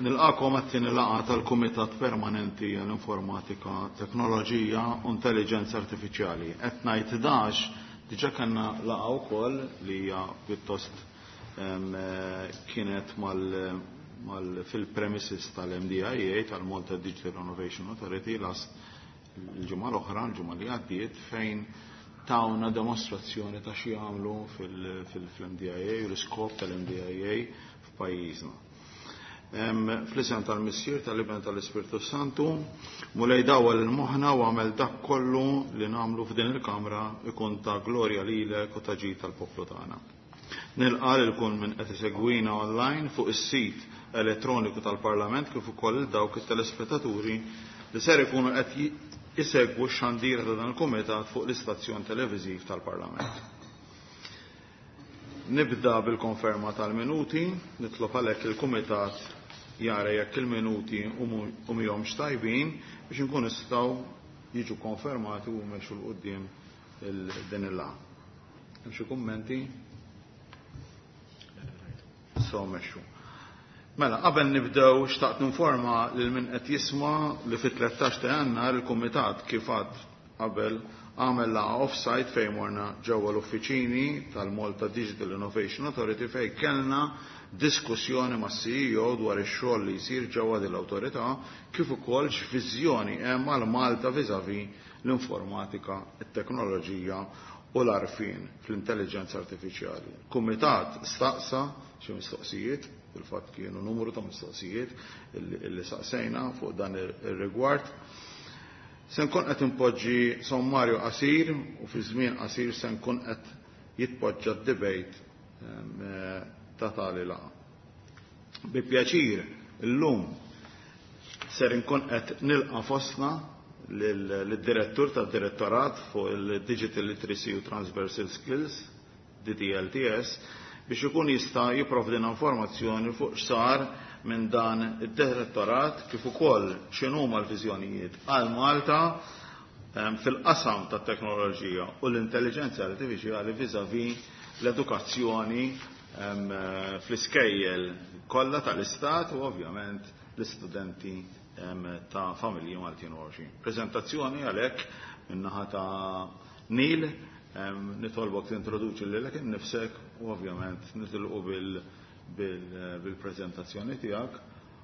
Nilqagħkom għat-tieni laqgħa tal-Kumitat Permanenti għall-Informatika, Teknoloġija u Intelliġenza Artifiċjali. Qed ngħid dax diġà kellna laqgħa wkoll li hija pjuttost kienet mal fil-premises tal-MDIA, tal-Malta Digital Innovation Authority, last il-ġimgħa l-oħra, l-ġimgħa li għaddiet, fejn tawna demostrazzjoni ta' xi jagħmlu fil-MDIA u l-iskop tal-MDIA f'pajjiżna. Fl-isem tal-Missier, tal-Iben, tal-Ispirtu Santu, Mulej dawwal il-moħħna u għamel dak kollu li nagħmlu f'din il-kamra ikun ta' glorja lilek u ta' ġid tal-poplu tagħna. Nilqa' lil kull min qed isegwina online fuq is-sit elettroniku tal-Parlament kif ukoll lil dawk it-telespettaturi li ser ikunu qed isegwu x-xandira ta' dan il-kumitat fuq l-istazzjon televiżiv tal-Parlament. Nibda bil-konferma tal-minuti, nitlob għalhekk il-kumitat jara jekk il-minuti humiex tajbin biex inkun nistgħu jiġu konfermati u mmexxu 'l quddiem din il-laqgħa. Hemm xi kummenti? So mexxu. Mela, qabel nibdew xtaqt ninforma lil min qed jisma' li fit-13 ta' Jannar il-kumitat kif għad qabel għamel laqgħa off-site fejn morna ġewwa l-uffiċini tal-Malta Digital Innovation Authority fejn kellna diskussjoni mas-CEO dwar ix-xogħol li jsir ġewwa din l-awtorità kif ukoll x'viżjoni hemm għal Malta vis-à-vis l-informatika, it-teknoloġija u l-għarfien fl-intelliġenza artifiċjali. Kumitat staqsa xi mistoqsijiet, fil-fatt kienu numru ta' mistoqsijiet illi saqsejna fuq dan ir-rigward. Se nkun qed inpoġġi sommarju qasir u fi żmien qasir se nkun qed jitpoġġa d-debate ta' tali laqgħa. Bi pjaċir illum ser inkun qed nilqa' fostna lid-direttur tad-Direttorat fuq il-Digital Literacy u Transversal Skills, DDLTS, biex ikun jista' jipprovdina informazzjoni fuq x'sar minn dan id-direttorat kif ukoll x'inhuma l-viżjonijiet għal Malta fil-qasam tat-teknoloġija u l-intelliġenza artifiċjali vis-à-vis l-edukazzjoni fl-iskejjel kollha tal-istat u ovvjament l-istudenti ta' familji Maltin u Għawdxin. Preżentazzjoni għalhekk min-naħa ta' Neil, nitolbok tintroduċi lilek innifsek u ovvjament nitilqu bil-preżentazzjoni tiegħek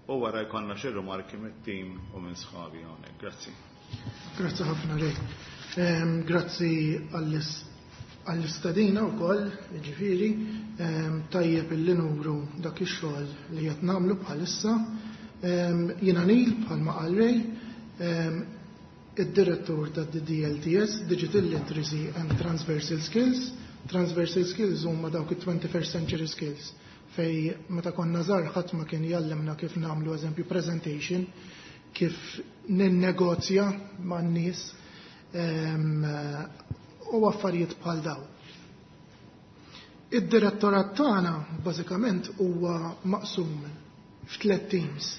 u wara jkollna xi rimarki mit-tim u minn sħabi hawnhekk. Grazzi. Grazzi ħafna Ray. Grazzi għall-istedina wkoll, jiġifieri, tajjeb illi nuru dak ix-xogħol li qed nagħmlu bħalissa. Jiena Neil bħalma qal Ray, id-direttur ta' DDLTS, Digital Literacy and Transversal Skills. Transversal Skills huma dawk it-21st Century Skills fej meta konna żgħar ħadd ma kien jallimna kif nagħmlu eżempju presentation, kif ninnegozja man-nies u affarijiet bħal daw. Id-direttorat tagħna bażikament huwa maqsum f'tliet teams.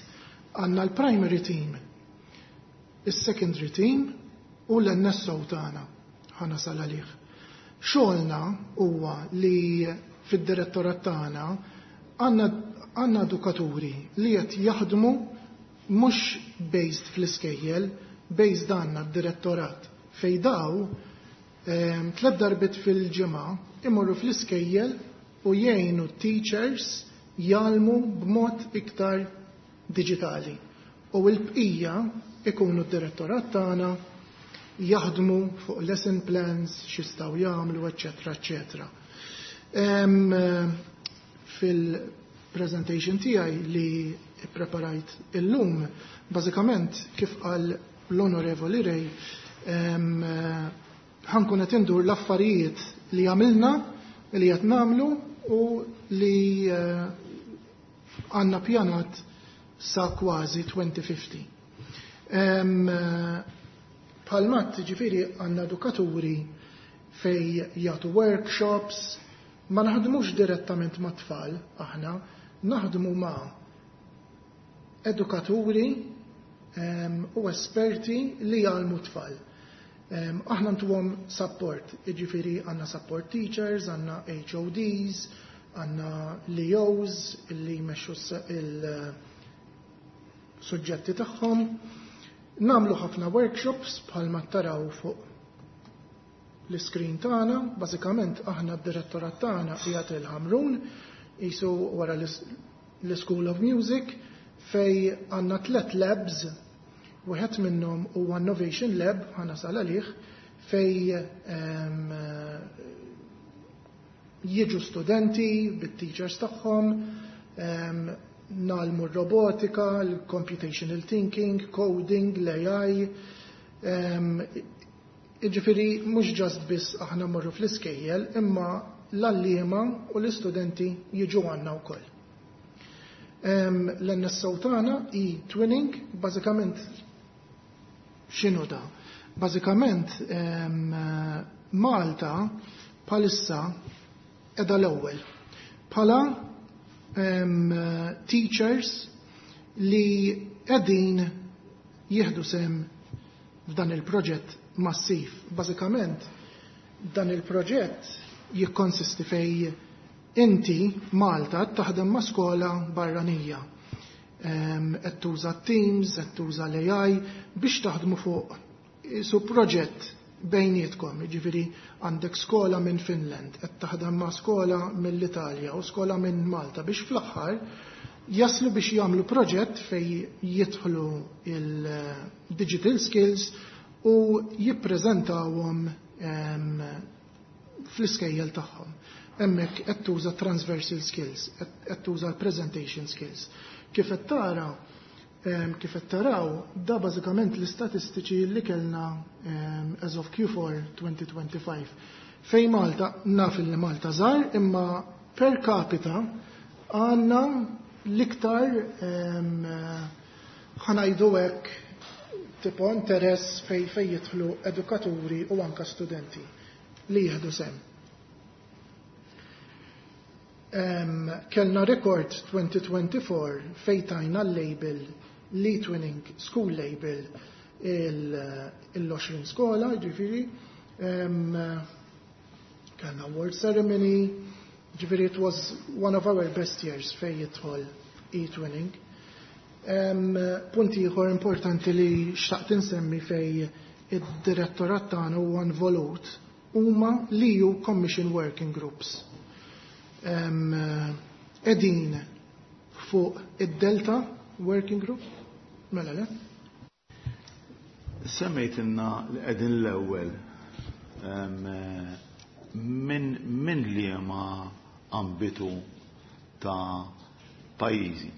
Għandna l-primary team, is-secondary team u l-NSO tagħna ħa nasal għalih. Xogħolna huwa li fid-direttorat tagħna għandna edukaturi li qed jaħdmu mhux based fl-iskejjel, based għandna d-direttorat fej daw tliet darbiet fil-ġimgħa imorru fl-iskejjel u jgħinu teachers jgħallmu b'mod iktar diġitali. U l-bqija ikunu d-direttorat tagħna jaħdmu fuq lesson plans, x'jistgħu jagħmlu, eċċetera, eċċetera. Fil-presentation tiegħi li preparajt illum, bażikament kif qal l-Onorevoli Ray, ħa nkun qed indur l-affarijiet li għamilna, li qed nagħmlu u li għandna pjanat sa kważi 2050. Bħalma ġifieri għandna edukaturi fej jagħtu workshops, ma naħdmux direttament ma' tfal aħna, naħdmu ma' edukaturi u esperti li jgħallmu tfal. Aħna ntuhom support, jiġifieri għandna support teachers, għandna HODs, għandna LEOs li jmexxu. suġġetti tagħhom. Nagħmlu ħafna workshops bħalma taraw fuq l-iskrin tagħna, bażikament aħna d-direttorat tagħna qiegħed il-Ħamrun, qisu wara l-School of Music, fejn għandna tlet labs, wieħed minnhom huwa Innovation Lab, ħa nasal għalih, fejn jiġu studenti bit-teachers tagħhom, ngħallmu r-robotika, l-computational thinking, coding, l-AI. Jiġifieri mhux just biss aħna mmorru fl-iskejjel, imma l-għalliema u l-istudenti jiġu għandna wkoll. L-NSO tagħna e-twinning, bażikament x'inhu da? Bażikament Malta bħalissa qiegħda l-ewwel bħala teachers li qegħdin jieħdu sehem f'dan il-proġett massiv. Bażikament dan il-proġett jikkonsisti fejn inti Malta taħdem ma' skola barranija. Qed tuża Teams, qed tuża l-AI biex taħdmu fuq su proġett bejnietkom, jiġifieri għandek skola minn Finland, qed taħdem ma' skola mill-Italja u skola minn Malta biex fl-aħħar jaslu biex jagħmlu proġett fejn jidħlu il-digital skills u jippreżentawhom fl-iskejjel tagħhom. Hemmhekk qed tuża transversal skills, qed tuża l-presentation skills. Kif qed tara, kif qed taraw, da bażikament l-istatistiċi li kellna as of Q4 2025. Fejn Malta, naf li Malta żgħar, imma per capita għandna l-iktar, ħa ngħidu hekk, tipo interess fejn jidħlu edukaturi u anka studenti li jieħdu sehem. Kellna rekord 2024 fejn tajna l-label l-eTwinning School Label il-20 skola, ġifieri, kellna award ceremony, ġifieri it was one of our best years fejn jidħol e-twinning. Punti ieħor importanti li xtaqt insemmi fejn id-direttorat tagħna huwa involut huma l-EU Commission Working Groups. Qegħdin fuq id-Delta Working Group, mela le? Semmejtilna li qegħdin l-ewwel minn liema ambitu ta' pajjiżi.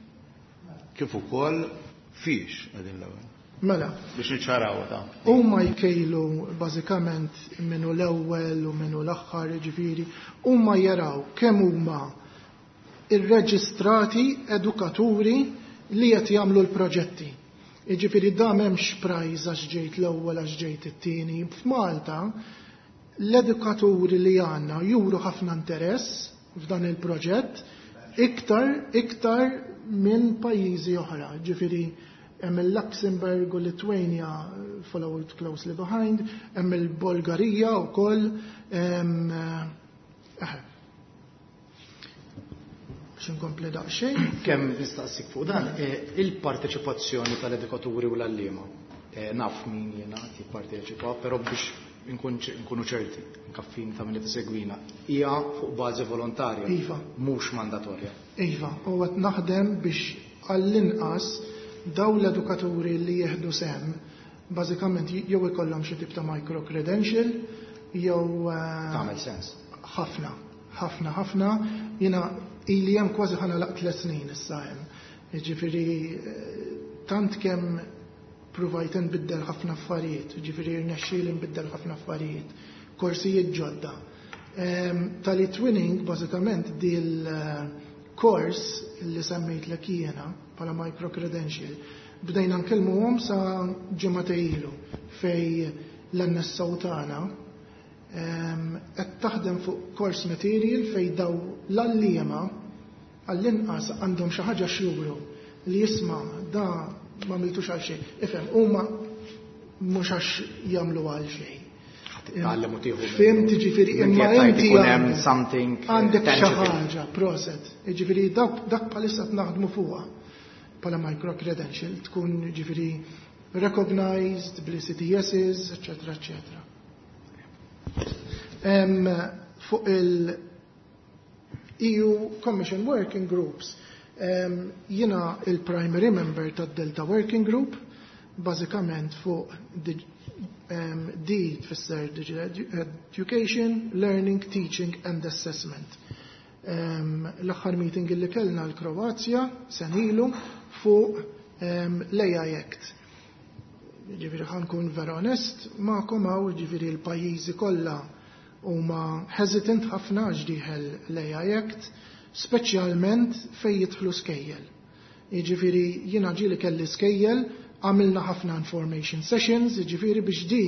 Kif ukoll fiex qegħdin l-ewwel? Mela. Biex niċċaraw ta' Huma jkejlu bażikament minnu l-ewwel u minnu l-aħħar, ġifieri, huma jaraw kemm huma irreġistrati edukaturi li qed jagħmlu l-proġetti. Jiġifieri da m'hemmx prize għax ġejt l-ewwel, għax ġejt it-tieni. F'Malta l-edukaturi li għandna juru ħafna interess f'dan il-proġett iktar minn pajjiżi oħra. Ġifieri hemm il-Luxembourg u Lithuania followed closely behind, hemm il-Bulgarija wkoll. Biex inkompli daqsxejn. Kemm nistaqsik fuq dan, il-parteċipazzjoni tal-edukaturi u l-għalliema. Naf min jiena jipparteċipa, però biex nkunu ċerti, nkaffin ta' min tisegwina, hija fuq bażi volontarja. Iva. Mhux mandatorja. Iva, u qed naħdem biex għall-inqas daw l-edukaturi li jieħdu sehem bażikament jew ikollhom xi tip ta' micro credential jew Tagħmel sens. Ħafna, ħafna, ħafna. Jiena ili hemm kważi ħa nagħlaq 3 snin issa hemm. Jiġifieri tant kemm provajt nbiddel ħafna affarijiet, jiġifieri rnexxieli nbiddel ħafna affarijiet, korsijiet ġodda. Tal-eTwinning bażikament dil kors li semmejtlek jiena bħala micro credential bdejna nkellmuhom sa ġimgħa ilu fejn l-NSO tagħna qed taħdem fuq course material fejn daw l-għalliema għall-inqas għandhom xi ħaġa x'juru li jisma' da ma għamiltux għal xejn. Ifhem, huma mhux għax jagħmlu għal xejn. Titgħallem u tieħu. Fhimt, jiġifieri, imma Jekk inti ikun hemm something għandek xi tangible. ħaġa, proset. Jiġifieri dak bħalissa qed naħdmu fuqha. bħala micro credential, tkun ġifieri recognized bl-ECTSs, eccetera, eccetera. Fuq il-EU Commission Working Groups, jiena il-primary member tad-Delta Working Group, bażikament fuq D tfisser Digital Education, Learning, Teaching and Assessment. L-aħħar meeting li kellna l-Kroazja sena ilu fuq l-AI Act. Ġifieri ħa nkun vera onest magħkom hawn, ġifieri l-pajjiżi kollha huma hesitant ħafna għax dieħel l-AI Act, speċjalment fejn jidħlu skejjel. Jiġifieri jiena ġieli kelli skejjel, għamilna ħafna information sessions, jiġifieri biex di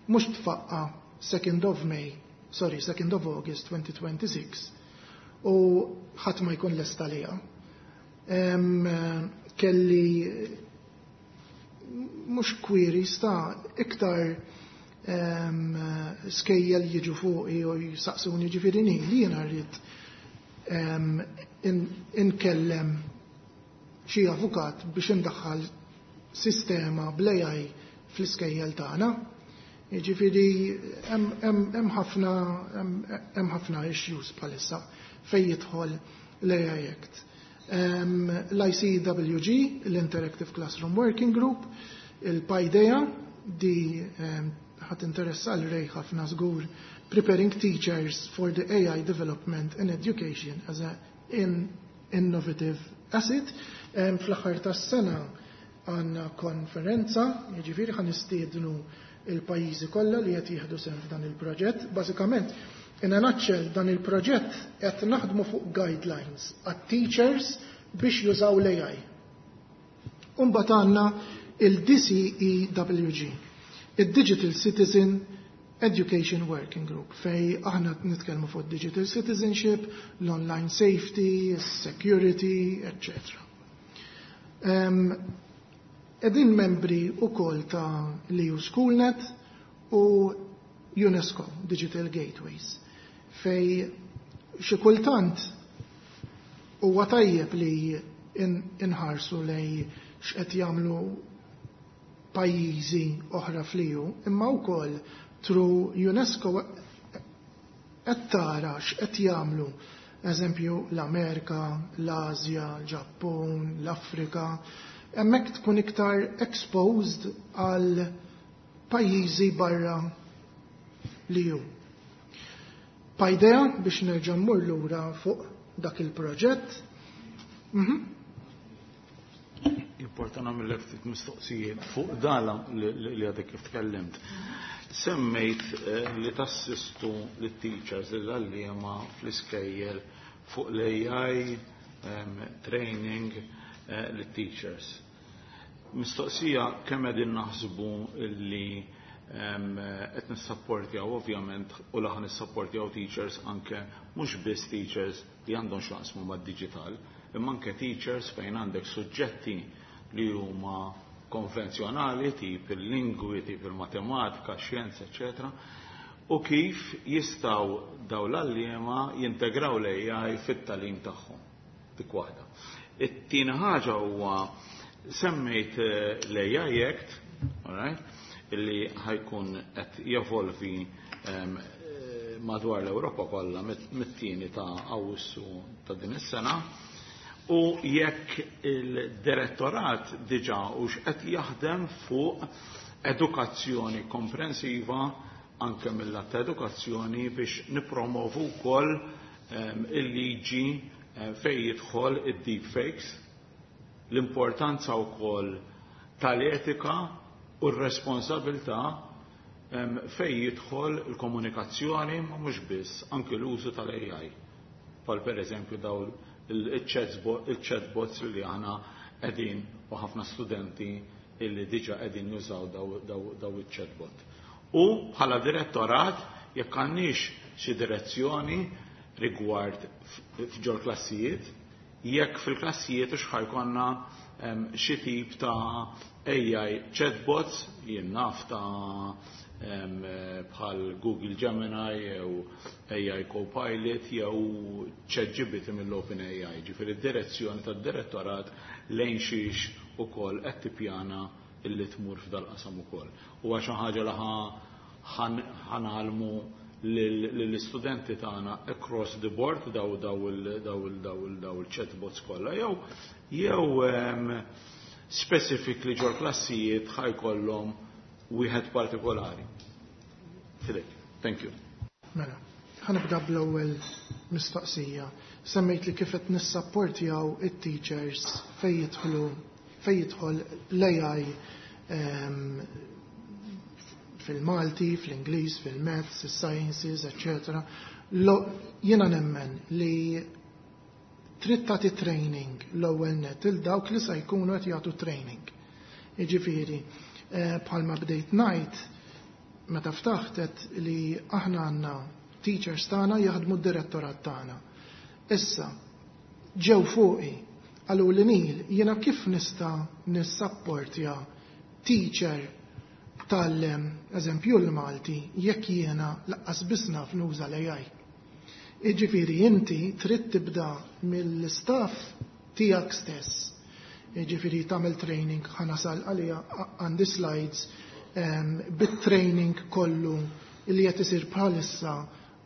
mhux tfaqqa 2nd of May, sorry, 2nd of August 2026, u ħadd ma jkun lesta liha. Kelli mhux queries ta' iktar skejjel jiġu fuqi u jisaqsuni, ġifieri li jiena rrid inkellem xi avukat biex indaħħal sistema bl-AI fl-iskejjel tagħna. Jiġifieri hemm ħafna issues bħalissa fejn jidħol l-AI Act. L-ICWG, l-Interactive Classroom Working Group, il-Paideia, di ħa tinteressa lil Ray ħafna żgur, Preparing Teachers for the AI Development in Education as a Innovative Asset. Fl-aħħar tas-sena għandna konferenza, jiġifieri ħa nistiednu il-pajjiżi kollha li qed jieħdu sehem f'dan il-proġett. Bażikament, in a nutshell, dan il-proġett qed naħdmu fuq guidelines għat-teachers biex jużaw l-AI. Umbagħad għandna il-DCEWG, il-Digital Citizen Education Working Group, fejn aħna nitkellmu fuq digital citizenship, l-online safety, security, etc. Qegħdin membri ukoll ta' l-EU Schoolnet u UNESCO Digital Gateways, fejn xi kultant huwa tajjeb li inħarsu lejn x'qed jagħmlu pajjiżi oħra fl-EU, imma wkoll through UNESCO qed tara x'qed jagħmlu, eżempju, l-Amerika, l-Asja, l-Ġappun, l-Afrika, hemmhekk tkun iktar exposed għal pajjiżi barra l-EU. Paideia, biex nerġa' mmur lura fuq dak il-proġett. Importa nagħmellek ftit mistoqsijiet fuq dala li għadek kif tkellimt. Semmejt li tassistu lit-teachers, l-għalliema fl-iskejjel fuq l-AI training lit-teachers. Mistoqsija: kemm qegħdin naħsbu li qed nissapportjaw ovvjament u laħan nissapportjaw teachers, anke mhux biss teachers li għandhom x'jaqsmu mad-digital, imma anke teachers fejn għandek suġġetti li huma konvenzjonali, tip il-lingwi, tip il-matematika, xjenza, eccetera, u kif jistgħu daw l-għalliema jintegraw l-AI fit-tagħlim tagħhom? Dik waħda. It-tieni ħaġa huwa semmejt l-AI Act, all right, illi ħa jkun qed jevolvi madwar l-Ewropa kollha mit-tieni ta' Awwissu ta' din is-sena, u jekk il-direttorat diġà u x'qed jaħdem fuq edukazzjoni komprensiva anke mill-lat ta' edukazzjoni biex nippromovu wkoll il-liġi fejn jidħol id-deepfakes, l-importanza wkoll tal-etika u r-responsabilità fejn jidħol il-komunikazzjoni, ma mhux biss, anke l-użu tal-AI. Bħal per eżempju daw il-chatbots li aħna qegħdin u ħafna studenti illi diġa qegħdin jużaw daw il-chatbot. U bħala direttorat jekk għandniex xi direzzjoni rigward f'ġol klassijiet, jekk fil-klassijiet u x'ħa jkollna xi tip ta' AI chatbots, jien naf ta' Bħal Google Gemini jew AI Copilot jew ChatGPT mill-OpenAI. Ġifieri d-direzzjoni tad-direttorat lejn xiex ukoll qed tippjana illi tmur f'dal-qasam ukoll. U xi ħaġa li ħa ngħallmu lill-istudenti tagħna across the board daw il-chatbots kollha jew specifically ġol klassijiet ħa jkollhom wieħed partikolari. Filip, thank you. Mela, ħa nibda bl-ewwel mistoqsija. Semmejt li kif qed nissapportjaw it-teachers fejn jidħol l-AI fil-Malti, fl-Ingliż, fil-Maths, il-Sciences, etc. Jiena nemmen li trid tagħti training l-ewwel net il dawk li se jkunu qed jagħtu training. Jiġifieri, bħalma bdejt ngħid meta ftaħtet li aħna għandna teachers tagħna jaħdmu d-direttorat tagħna. Issa, ġew fuqi, qalu li, "Neil, jiena kif nista' nissapportja teacher tal eżempju l-Malti jekk jiena lanqas biss naf nuża l-AI?" Iġifieri inti trid tibda mill-staff tiegħek stess. Iġifieri tagħmel training, ħa nasal għalija, għandi slides bit-training kollu li qed isir bħalissa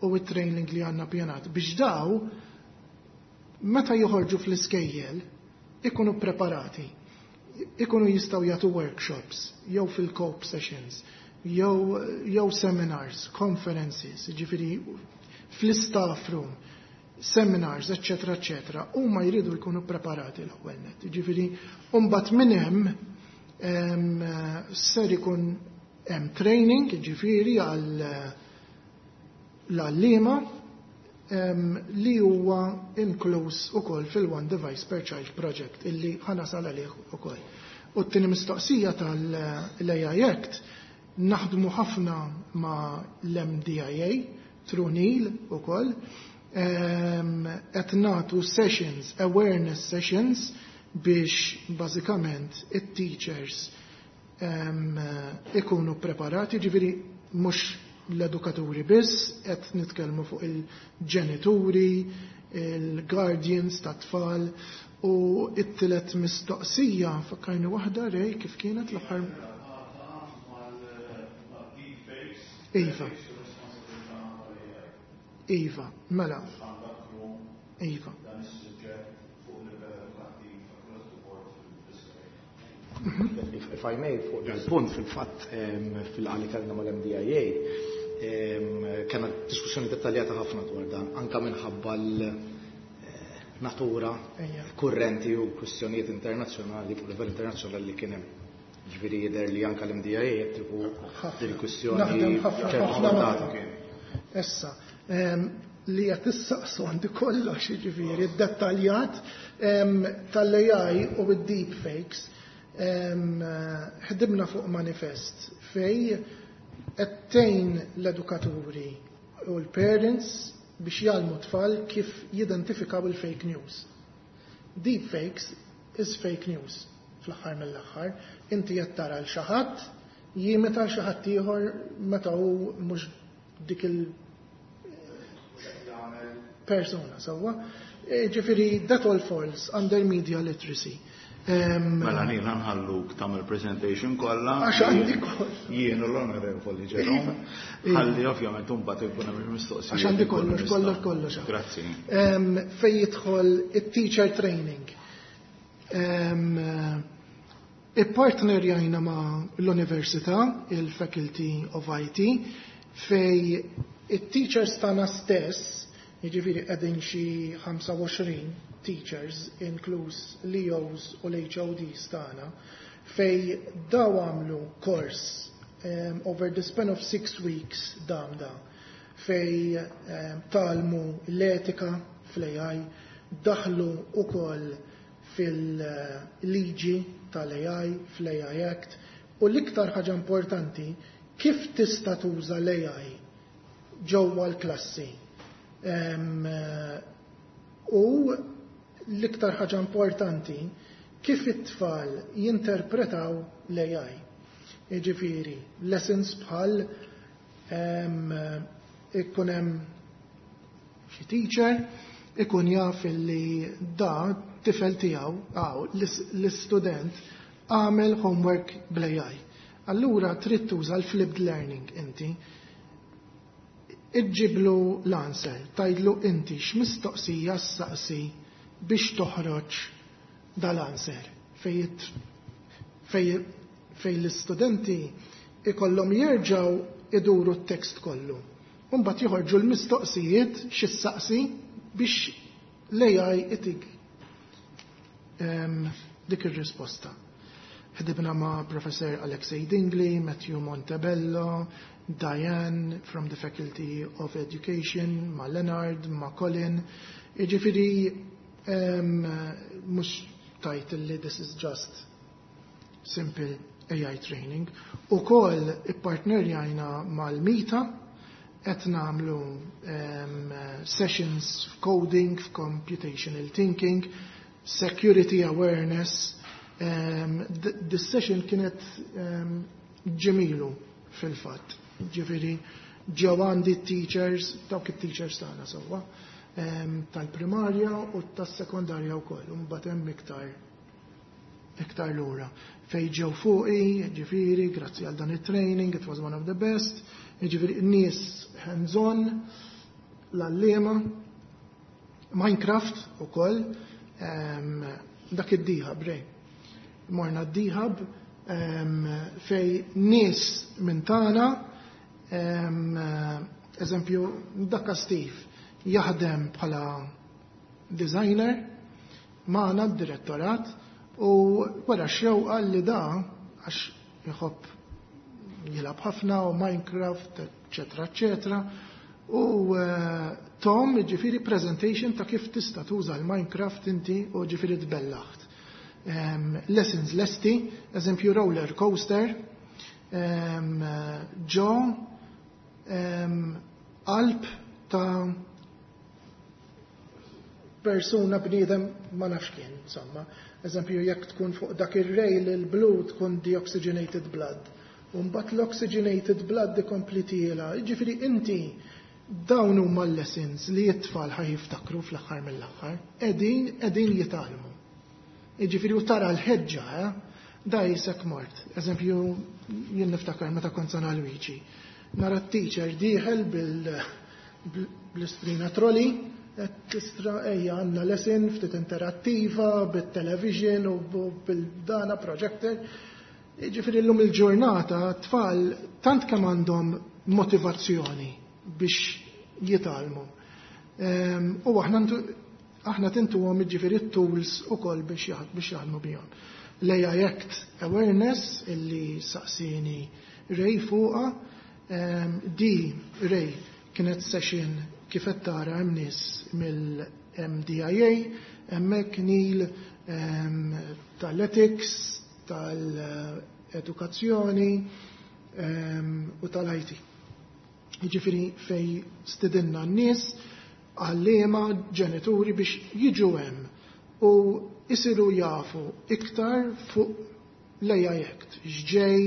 u it-training li għandna pjanat biex daw meta joħorġu fl-iskejjel ikunu preparati, ikunu jistgħu jagħtu workshops, jew fil-COPE sessions, jew seminars, conferences, ġifieri fl-staff room, seminars, eccetera, eccetera, huma jridu jkunu preparati l-ewwel net. Ġifieri, mbagħad minn hemm ser ikun hemm training, ġifieri għal l-għalliema li huwa inkluż ukoll fil-One Device per Child Project illi ħa nasal għalih ukoll. U t-tieni mistoqsija tal-AI Act, naħdmu ħafna ma' l-MDIA, through Neil ukoll, qed nagħtu sessions, awareness sessions biex bażikament it-teachers ikunu preparati, ġifieri mhux l-edukaturi biss, qed nitkellmu fuq il-ġenituri, il-guardians ta' tfal u it-tielet mistoqsija, fakkarni waħda, Ray, kif kienet l-aħħar? Iva, mela. Iva. If I may, fuq dal-punt, fil-fatt fil-laqgħa li kellna mal-MDIA, kellna diskussjoni dettaljata ħafna dwar dan, anka minħabba l-natura kurrenti u kwistjonijiet internazzjonali fuq livell internazzjonali li kien hemm. Ġifieri jidher li anka l-MDIA qed tieħu din il-kwistjoni Naħdem ħafna ċertu ħafna portata. magħhom. Issa, li qed issaqsu għandi kollox, jiġifieri dettaljat tal-AI u d-deep fakes. Ħdimna fuq manifest fej qed tgħin l-edukaturi u l-parents biex jgħallmu tfal kif jidentifikaw il-fake news. Deep fakes is fake news fl-aħħar mill-aħħar. Inti qed tara l xi ħadd jimita l xi ħadd ieħor meta hu mhux dik il persona, sewwa. Ġifieri that all falls under media literacy. Mela nina nħalluk tagħmel presentation kollha. Għax għandi kollox. Jien u l-Onorevoli Jerome. Ħalli ovvjament imbagħad ikun hemm il-mistoqsijiet. Għax għandi kollox, Ikun kollox, nistgħu. kollox. Grazzi. Fej jidħol it-teacher training. Ippartnerjajna ma' l-Università, il-Faculty of IT, fej it-teachers tagħna stess, jiġifieri qegħdin xi 25 teachers, inkluż l-EOs u l-HODs tagħna, fej daw għamlu kors over the span of 6 weeks dam da, fej tgħallmu l-etika fl-AI, daħlu ukoll fil-liġi tal-AI, fl-AI Act, u l-iktar ħaġa importanti, kif tista' tuża l-AI ġewwa l-klassi. U l-iktar ħaġa importanti, kif it-tfal jinterpretaw l-AI. Jiġifieri, lessons bħal ikun hemm xi teacher ikun jaf li da tifel tiegħu għaw l-istudent għamel homework bl-AI. Allura trid tuża l-flipped learning inti. Iġġiblu l-answer, tgħidlu inti x'mistoqsija ssaqsi biex toħroġ dal-answer fej l-istudenti ikollhom jerġgħu iduru t-tekst kollu. Mbagħad joħorġu l-mistoqsijiet x'issaqsi biex l-AI itik dik ir-risposta. Ħdibna ma' Professor Alexei Dingley, Matthew Montebello, Diane from the Faculty of Education, ma' Leonard, ma' Colin. Jiġifieri mhux tajt li this is just simple AI training. Ukoll ippartnerjajna mal-MITA, qed nagħmlu sessions f'coding, f'computational thinking, security awareness. This session kienet ġemilu fil-fatt. Ġifieri ġew għandi teachers, dawk it-teachers tagħna sewwa, tal-primarja u tas-sekondarja wkoll, u mbagħad hemm iktar lura. Fej ġew fuqi, ġifieri, grazzi għal dan it-training, it was one of the best, ġifieri nies hands-on, l-għalliema, Minecraft ukoll, dak id-dihab, rej. Morna d-dihab fej nies minn tagħna, eżempju, dakka Steve, jaħdem bħala designer magħna d-direttorat u wara xewqa li da għax jħobb jilgħab ħafna u Minecraft, eccetera, eccetera. U Tom, ġifieri, presentation ta' kif tista' tuża l-Minecraft inti u ġifieri tbellaħt. Lessons lesti, eżempju roller coaster, ġo qalb ta' persuna, bniedem, ma nafx kien, insomma. Eżempju, jekk tkun fuq dak ir-rail il-blu tkun deoxygenated blood. U mbagħad l-oxygenated blood ikompli tiela. Ġifieri inti dawn huma l-lessons li t-tfal ħa jiftakru fl-aħħar mill-aħħar. Qegħdin jitgħallmu. Ġifieri u tara l-ħeġġa, eh? Da jisek mort. Eżempju, jien niftakar meta kont San Alwiġi. Nara t-teacher dieħel bl-istrina trolley, tistra ejja għandna lesson ftit interattiva, bit-television u bil-dana projector. Ġifieri llum il-ġurnata tfal tant kemm għandhom motivazzjoni biex jitgħallmu. U aħna tintuhom ġifieri tools ukoll biex jaħdmu bihom. L-AI Act Awareness illi saqsini Ray fuqa, di Ray kienet session kif qed tara hemm nies mill-MDIA, hemmhekk Neil tal-ethics, tal-edukazzjoni u tal-IT. Jiġifieri fej stidinna n-nies, għalliema, ġenituri biex jiġu hemm u isiru jafu iktar fuq l-AI Act, x'ġej,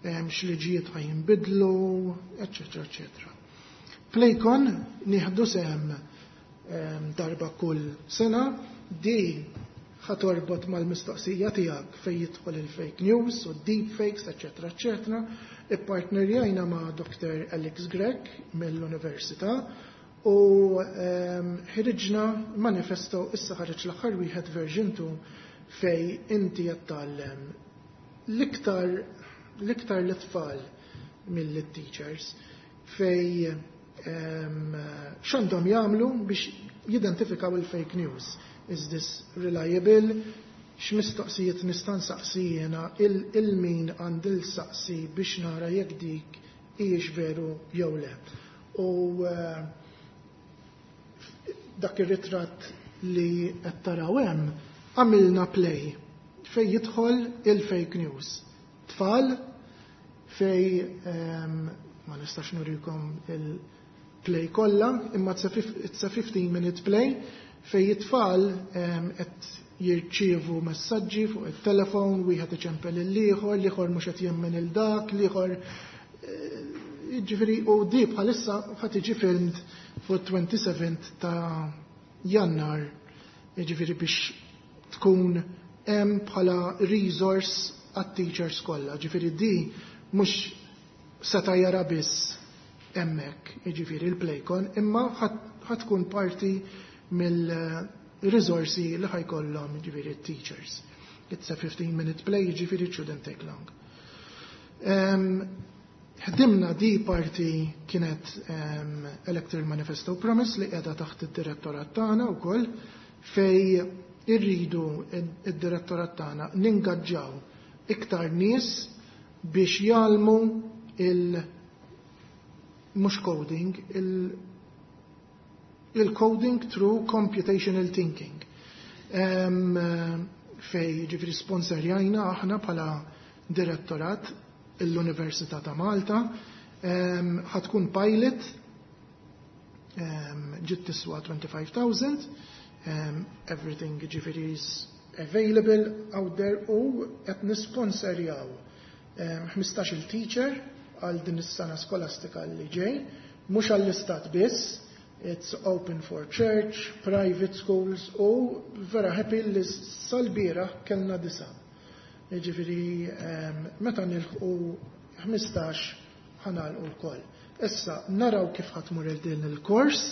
x'liġijiet ħa jinbidlu, eccetera, eccetera. Playcon nieħdu sehem darba kull sena, di ħa torbot mal-mistoqsija tiegħek fej jidħol il-fake news u deepfakes, eccetera, eccetera. Ippartnerjajna ma' Dr. Alex Grech mill-Università u ħriġna manifesto, issa ħareġ l-aħħar wieħed, version 2, fej inti qed tgħallem l-iktar l-tfal mill-teachers fej x'għandhom jagħmlu biex jidentifikaw il-fake news. Is this reliable? X'mistoqsijiet nista' nsaqsi jiena il-min għandi l-saqsi biex nara jekk dik hijiex veru jew le? U dak ir-ritratt li qed taraw hemm għamilna play fej jidħol il-fake news. Tfal fej ma nistax nurikom il-play kollha, imma it's a 15 minute play fej it-tfal qed Jirċievu messaġġi fuq it-telefon, wieħed iċempel il-ieħor, l-ieħor mhux qed jemmen il dak, l-ieħor, jiġifieri, u di bħalissa ħa tiġi filmed fuq 27 ta' Jannar, jiġifieri biex tkun hemm bħala resource għat-teachers kollha. Ġifieri di mhux seta' jara biss hemmhekk, jiġifieri il-Playcon, imma ħa tkun parti mill-risorsi li ħa jkollhom, jiġifieri, teachers. It's a 15 minute play, jiġifieri it shouldn't take long. Ħdimna di parti kienet Electoral Manifesto Promise li qiegħda taħt id-direttorat tagħna wkoll, fej irridu id-direttorat tagħna ningaġġaw iktar nies biex jgħallmu il mhux coding, il-coding through computational thinking. Fej ġifieri sponsorjajna aħna bħala direttorat l-Università ta' Malta, ħa tkun pilot, ġiet tiswa 25,000, everything ġifieri is available out there, u qed nisponsorjaw 15 teacher għal din is-sena skolastika li ġej, mhux għall-istat biss, it's open for church, private schools, u vera happy li sal-bieraħ kellna 9. Jiġifieri meta nilħqu 15 ħa nagħlqu l-koll. Issa naraw kif ħa tmur din il-kors.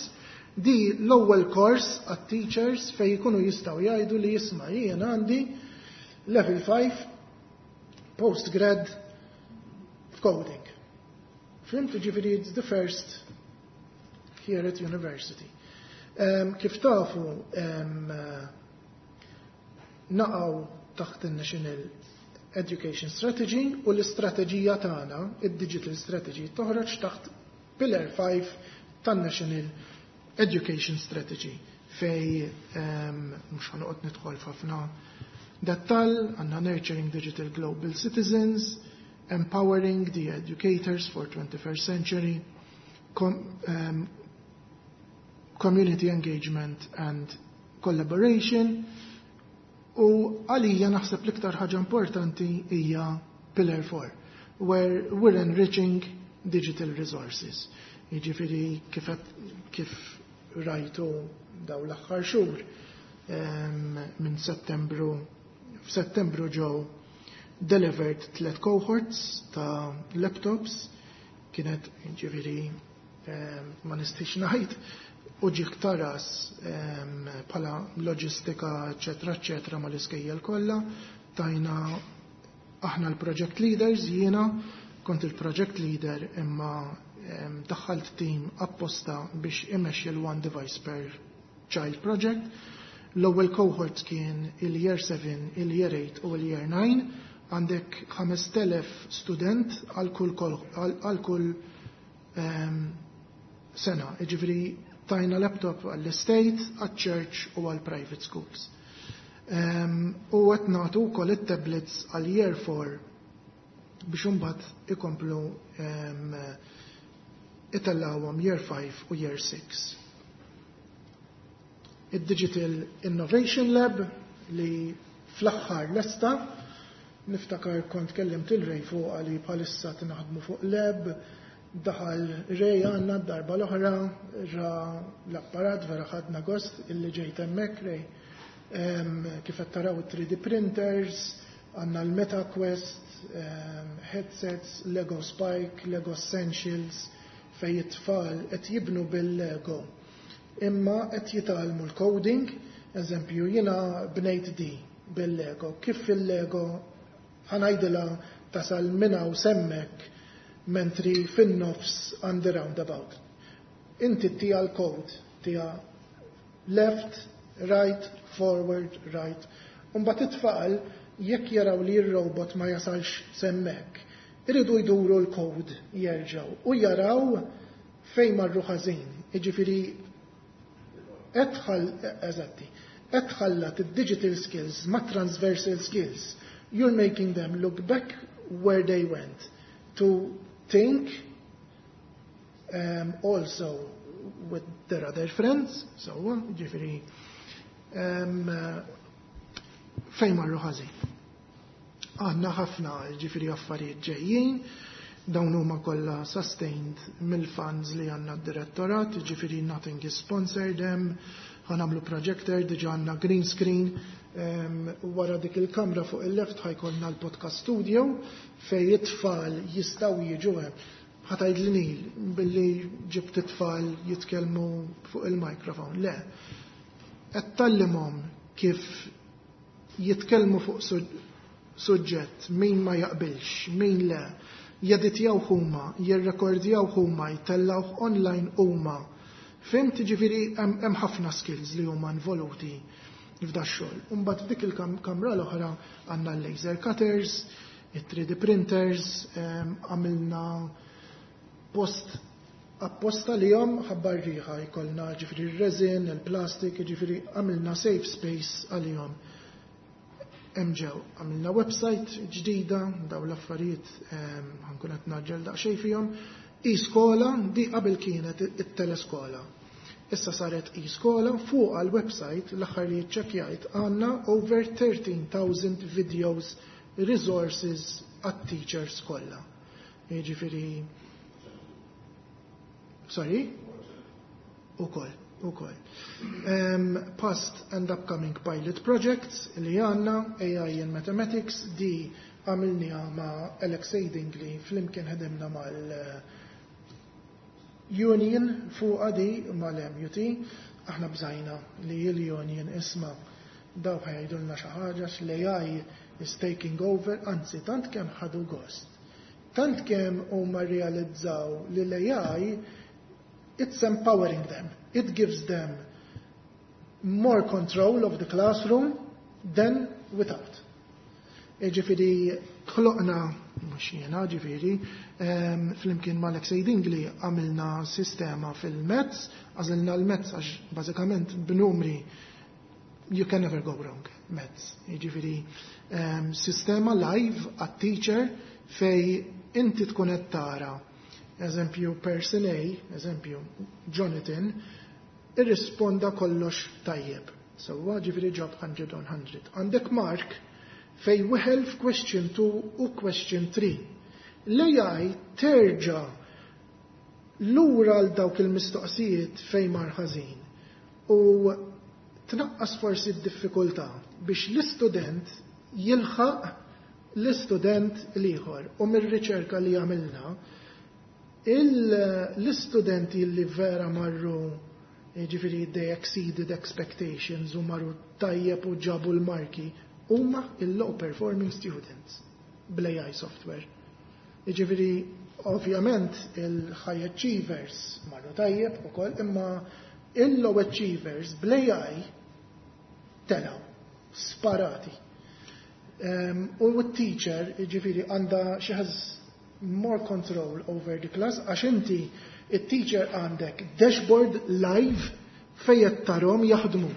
Di l-ewwel kors għat-teachers fej jkunu jistgħu jgħidu li jisma' jien għandi level 5 postgrad f'coding. Fhimt, ġifieri it's the first here at university. Kif tafu, naqgħu taħt il-National Education Strategy u l-istrateġija tagħna, id-Digital Strategy, toħroġ taħt Pillar 5 tan-National Education Strategy, fej mhux ħa noqgħod nidħol f'ħafna dettal, għandna Nurturing Digital Global Citizens, Empowering the Educators for 21st Century, Community Engagement and Collaboration, u għalija naħseb l-iktar ħaġa importanti hija Pillar 4, where we're enriching digital resources. Jiġifieri kif rajtu daw l-aħħar xhur, minn Settembru, f'Settembru ġew delivered tlet cohorts ta' laptops, kienet ġifieri ma nistix ngħid u ġieħ ta' ras bħala loġistika, eċetera, eċetera, ma l-iskejjel kollha. Tajna aħna l-project leaders, jiena kont il-project leader, imma daħħalt team apposta biex imexxi l-One Device per Child project. L-ewwel cohort kien il-year 7, il-year 8 u il-year 9. Għandek 5000 student għal kull sena. Ġifieri tajna laptop għall-state, għall-church u għall-private schools. U qed nagħtu wkoll it-tablets għal year 4 biex imbagħad ikomplu itellawhom year 5 u year 6. Id-Digital Innovation Lab li fl-aħħar lesta, niftakar kont kellimt il-Rej fuq li bħalissa naħdmu fuq lab, daħal Rej għandna d-darba l-oħra, ra l-apparat, vera ħadna gost illi ġejt hemmhekk, Rej. Kif qed taraw 3D printers, għandna l-MetaQuest, headsets, Lego Spike, Lego Essentials, fej it-tfal qed jibnu bil-Lego. Imma qed jitgħallmu l-coding, eżempju, jiena bnejt di bil-Lego. Kif fil-Lego ħa ngħidilha tasal minn hawn s'hemmhekk mentri fin-nofs għandi roundabout? Inti ttiha l-code, ttiha left, right, forward, right. Mbagħad it-tfal jekk jaraw li r-robot ma jasalx s'hemmhekk, iridu jduru l-code jerġgħu u jaraw fejn marru ħażin. Jiġifieri edħal, eżatti, edħallat id-digital skills ma' transversal skills. You're making them look back where they went to think also with their other friends, so ġifieri Fejn marru ħażin. Għandna ħafna, ġifieri, affarijiet ġejjin, dawn huma kollha sustained mill-funds li għandna d-direttorat, ġifieri nothing is sponsored them, ħa nagħmlu projector, diġà għandna green screen, wara dik il-kamra fuq il-left ħa jkollna l-podcast studio fej it-tfal jistgħu jiġu hemm. Ħa tgħid li Neil, billi ġibt it-tfal jitkellmu fuq il-microphone. Le. Qed tgħallimhom kif jitkellmu fuq suġġett, min ma jaqbilx, min le, jeditjaw huma, jirrekordjaw huma, jtellawh online huma. Fhimt, ġifieri hemm ħafna skills li huma involuti f'da xogħol. Imbagħad f'dik il-kamra l-oħra għandna l-laser cutters, il-3D printers, għamilna post apposta li jom ħabba r-riħa jkollna, ġifieri il-resin, il-plastik, ġifieri għamilna safe space għalihom. Ġew, għamilna website ġdida, daw l-affarijiet ħa nkun qed ngħaġġel daqsxejn fihom. E-skola, di qabel kienet it-teleskola. Issa saret e-skola. Fuq għal-website, l-aħħar li ċċekkjajt, għandna over 13,000 videos, resources għat-teachers kollha. Jiġifieri, sorry? Ukoll, ukoll. Past and upcoming pilot projects li għandna: AI in Mathematics, di għamilniha ma' Alex Dingley, flimkien ħedemna mal Union fuq di mal-MUT, aħna bżajna li l-Union, isma', daw ħa jgħidulna xi ħaġa, l-AI is taking over, anzi tant kemm ħadu gost. Tant kemm huma realizzaw li l-AI, it's empowering them. It gives them more control of the classroom than without. Ġifieri, ħloqna, mhux jiena, ġifieri, flimkien ma' Alexei Dingley għamilna sistema fil-maths, għażilna l-maths għax bażikament b'numri you can never go wrong, maths. Ġifieri, sistema live għat-teacher fej inti tkun qed tara, eżempju, person A, eżempju, Jonathan, irrisponda kollox tajjeb. So, ġifieri ġab 100 on 100. Għandek Mark fej weħel f'question 2 u question 3. L-AI terġa lura għal dawk il-mistoqsijiet fej mar ħażin u tnaqqas forsi d-diffikultà biex l-istudent jilħaq l-istudent l-ieħor. U mir-riċerka li għamilna, l-istudenti li vera marru, ġifieri they exceeded expectations u marru tajjeb u ġabu l-marki, huma il-low performing students bl-AI software. Ġifieri, ovvjament, il-high achievers marru tajjeb ukoll, imma il-low achievers bl-AI telgħu, sparati. U t-teacher, ġifieri, għandha, she has more control over the class, għax inti, il-teacher, għandek dashboard live fejn tarahom jaħdmu.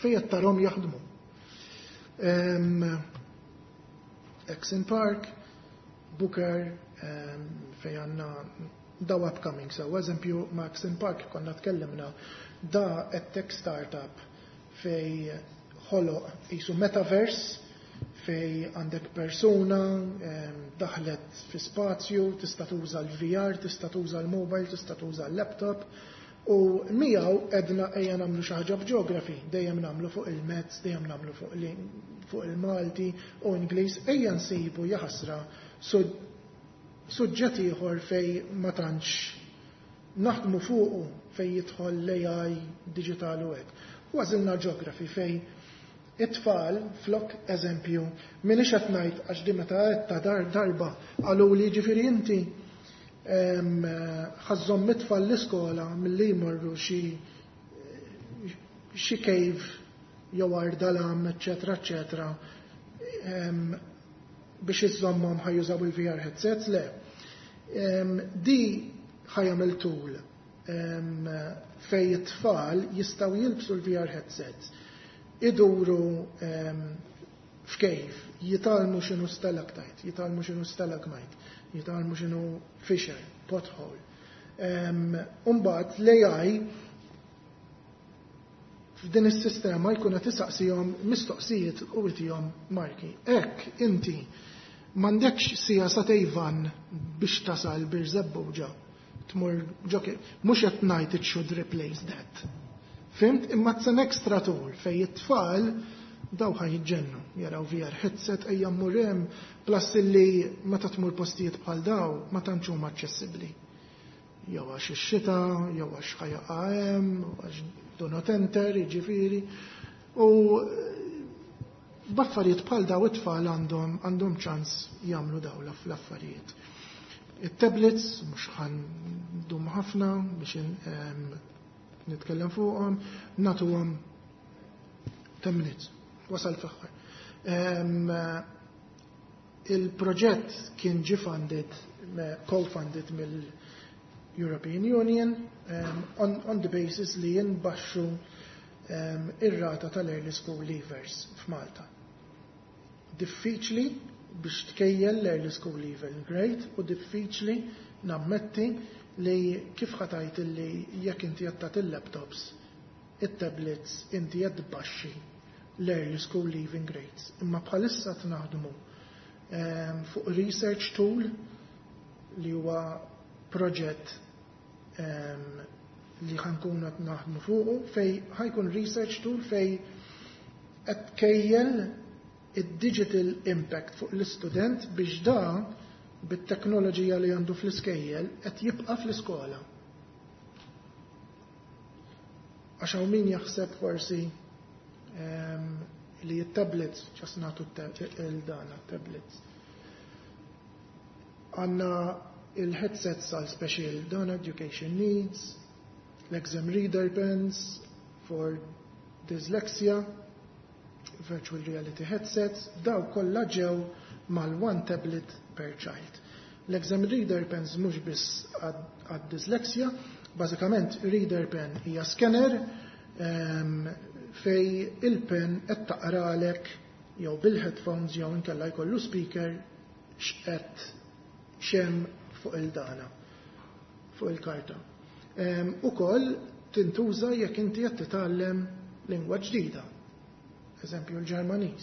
Fejn tarahom jaħdmu. Exin Park, Booker, fej għandna daw upcoming. So, eżempju, ma' Exin Park konna tkellimna, da tech startup fej ħoloq qisu metaverse fej għandek persuna daħlet fi spazju, tista' tuża l-VR, tista' tuża l-mobile, tista' tuża l-laptop, u miegħu għedna ejja nagħmlu xi ħaġa b'geography, dejjem nagħmlu fuq il-maths, dejjem nagħmlu fuq il-Malti u Ingliż, ejja nsibu jaħasra suġġett ieħor fej ma tantx naħdmu fuqu, fej jidħol l-AI digital u hekk. U għażilna geography fej it-tfal flok, eżempju, minix qed ngħid għax di meta qed ta' dar darba qalu li ġifieri inti ħa żżomm it-tfal l-iskola milli jmorru xi cave jew Għar Dalam, eċetera, eċetera, biex iżommhom ħa jużaw il-VR headsets, le. Di ħa jagħmel tool fej it-tfal jistgħu jilbsu l-VR headsets, iduru f'cave, jitgħallmu x'inhu stalactite, jitgħallmu x'inhu stalagmite, jitgħallmu x'inhu fissure, pothole. Umbagħad l-AI F'din is-sistema jkun qed isaqsihom mistoqsijiet u jtihom marki. Hekk inti m'għandekx siegħa sagħtejn van biex tasal Birżebbuġa tmur ġo, mhux qed ngħid it should replace that. Fhimt? Imma it's an extra tool fejn it-tfal daw ħa jiġġennu, jaraw VR headset, ejja mmur hemm, plus illi meta tmur postijiet bħal daw ma tantx huma aċċessibbli. Jew għax ix-xita, jew għax ħa jaqa' hemm, għax do not enter, jiġifieri. U b'affarijiet bħal daw it-tfal għandhom ċans jagħmlu daw l-affarijiet. Il-tablets, mhux ħa ndum ħafna biex nitkellem fuqhom, nagħtuhom 10 minutes, wasal fl-aħħar. Il-proġett kien ġi funded, co-funded mill-European Union on the basis li jinbaxxu ir-rata tal-early school leavers f'Malta. Diffiċli biex tkejjel l-early school leaving rate u diffiċli nammetti li kif ħa tgħid li jekk inti qed tagħti il-laptops, it-tablets, inti qed tbaxxi l-early school leaving rates. Imma bħalissa naħdmu fuq research tool li huwa proġett li ħa nkunu qed naħdmu fuqu fej ħa jkun research tool fej qed tkejjel id-digital impact fuq l-istudent biex da bit-teknoloġija li għandu fl-iskejjel qed jibqa' fl-iskola. Għax hawn min jaħseb forsi li t-tablets, ġas nagħtu il-dana, tablets. Għandna il-headsets għal special dana education needs, l-exam reader pens for dyslexia, virtual reality headsets, daw kollha ġew mal-one tablet per child. L-exam reader pens mhux biss għad-dyslexia, bażikament reader pen hija scanner fej il-pen qed taqralek jew bil-headphones jew inkella jkollu speaker x'qed xem fuq il-dana, fuq il-karta. Ukoll tintuża jekk inti qed titgħallem lingwa ġdida. Eżempju l-Ġermaniż.